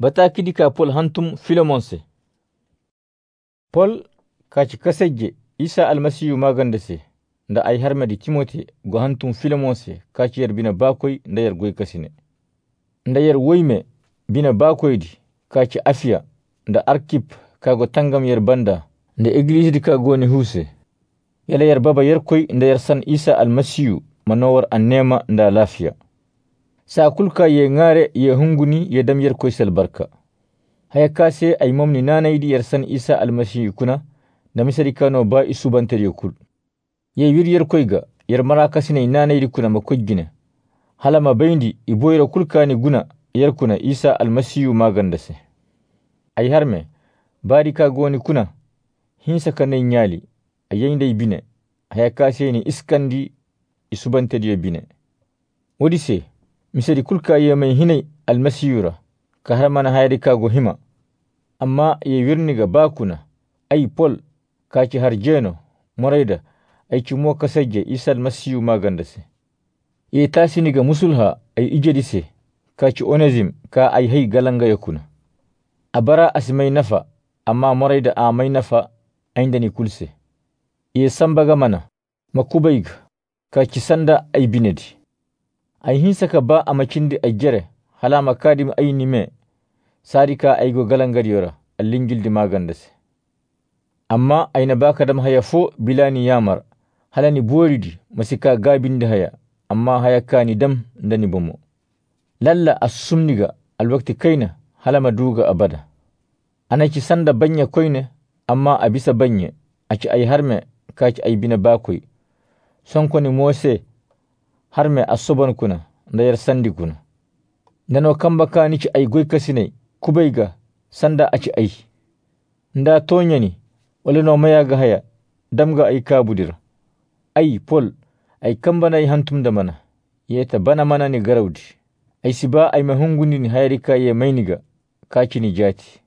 Bataki ka Paul hantum Filemon se. Paul kaci kasajje Isa Almasihu maganda se nda ay harmadi Timote go hantum Filemon se kaci yar bina bakoy nda yar goy kasine. Nda yar woyme bina bakoydi kaci Afiya nda Arkip kago tangam yar banda nda Eglise di kago ni huse. Yala yar baba yarkoy nda yar san Isa Almasihu manowar annema nda lafiya. Sakulka ye ngare ye hunguni ye dam yarkoy salbarka. Haya kase ay momni nanaydi yar san Isa Almasihu kuna da misari kano ba isu bantar kul. Ye wir yarkoy ga yar marakasine nanaydi kuna makojjine. Halama bayndi iboyra kulkani guna yarkuna Isa Almasihu magandase. Ay harme bari ka goni kuna hinsa kanay nyali ayende bine haya kase ni iskandi isubante bine. Wodise misari kulka ye mai hinai Almasihura ka har mana hayari ka go hima. Amma ye wirni ga bakuna ay Paul kaci har jeno moraida ay ci mo kasajje Isa Almasihu magandase. Ye tasini ga musulha ay ijedise kaci Onezim ka ay hay galanga yakuna. Abara asimai nafa amma moraida a mai nafa aindani kulse. Ye sambaga mana makubayga kaci sanda ay binedi. Ay hinsa ka ba a macindi ay jere halama kadim ay nime sarika ay go galangariyora allingildi magandase. Amma ay na baka dam haya fo bilani yamar halani boridi masika gabindi haya amma haya kani dam ndani bomo. Lalla asumniga alwakti kaina halama duga abada. Anaci sanda banya koine amma abisa banye aci ay harme kaci ay bina bakoy. Sonkoni mose harme asoban kuna ndayar sandi kuna. Nano kamba kani ci ay goy kasinai kubayga sanda aci ay. Nda tonyani wala no mayaga haya damga ay kabudira. Ay Paul ay kamba nay hantum da mana yeta bana mana ni garawdi. Ay siba ay mahunguni ni hayarika ye mainiga kaci ni jati.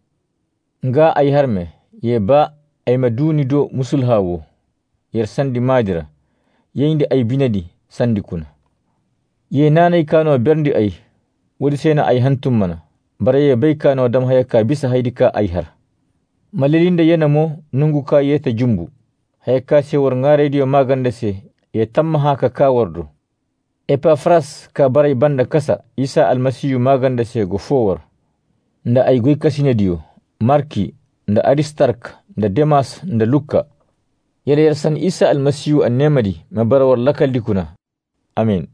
Nga ay harme ye ba ay maduni do musulhawo yar sandi madira yende ay binadi sandi kuna. Ye nanay kano berndi ay wodi sena ay hantum mana bare ye bay kano dam haya ka bisa haydika ay har. Malilinda yana mo nungu ka yeta jumbu haya ka se war ngare diyo maganda se ye tamma haka ka wardo. Epafras ka baray banda kasa Isa Almasihu maganda se go fowar. Nda ay goy kasine diyo Marki nda Aristark nda Demas nda Luka. Yala yarsan Isa Almasihu annemadi mabarawar lakaldi kuna. Amin.